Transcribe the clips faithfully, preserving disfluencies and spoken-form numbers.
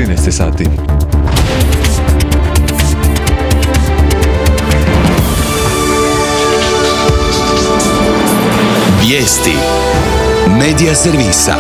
trinaest sati. Vijesti Medija servisa.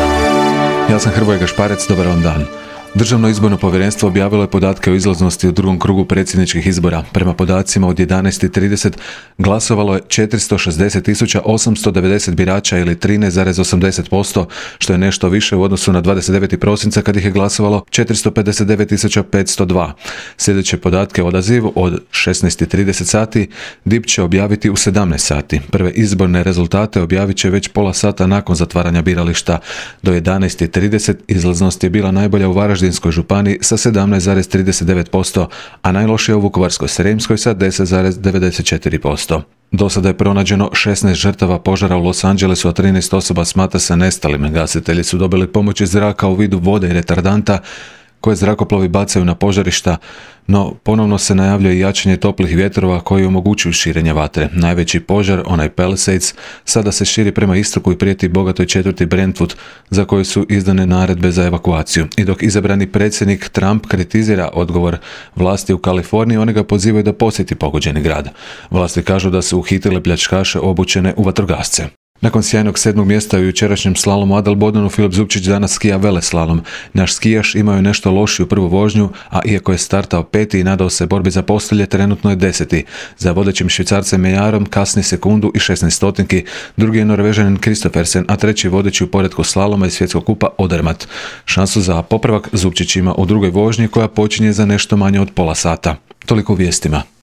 Ja sam Hrvoje Gašparec, dobar vam dan. Državno izborno povjerenstvo objavilo je podatke o izlaznosti u drugom krugu predsjedničkih izbora. Prema podacima od jedanaest i trideset glasovalo je četiristo šezdeset tisuća osamsto devedeset birača ili trinaest zarez osamdeset posto, što je nešto više u odnosu na dvadeset devetog prosinca kad ih je glasovalo četiristo pedeset devet tisuća petsto dva. Sljedeće podatke o odazivu od šesnaest i trideset sati D I P će objaviti u sedamnaest sati. Prve izborne rezultate objavit će već pola sata nakon zatvaranja birališta. Do jedanaest i trideset izlaznost je bila najbolja u Varaždinskoj županiji sa sedamnaest zarez trideset devet posto, a najlošija u Vukovarsko-srijemskoj sa deset zarez devedeset četiri posto. Do sada je pronađeno šesnaest žrtava požara u Los Angelesu, a trinaest osoba smatra se nestalim. Gasitelji su dobili pomoć iz zraka u vidu vode i retardanta koje zrakoplovi bacaju na požarišta, no ponovno se najavljuje jačanje toplih vjetrova koji omogućuju širenje vatre. Najveći požar, onaj Palisades, sada se širi prema istoku i prijeti bogatoj četvrti Brentwood, za koju su izdane naredbe za evakuaciju. I dok izabrani predsjednik Trump kritizira odgovor vlasti u Kaliforniji, oni ga pozivaju da posjeti pogođeni grad. Vlasti kažu da su uhitile pljačkaše obučene u vatrogasce. Nakon sjajnog sedmog mjesta u jučerašnjem slalomu Adel Bodenu, Filip Zupčić danas skija veleslalom. Naš skijaš imao je nešto lošiju prvu vožnju, a iako je startao peti i nadao se borbi za postolje, trenutno je deseti. Za vodećim Švicarcem Mejarom kasni sekundu i šesnaest stotinki, drugi je Norvežanin Kristoffersen, a treći vodeći u poretku slaloma i svjetskog kupa Odermatt. Šansu za popravak Zupčić ima u drugoj vožnji koja počinje za nešto manje od pola sata. Toliko u vijestima.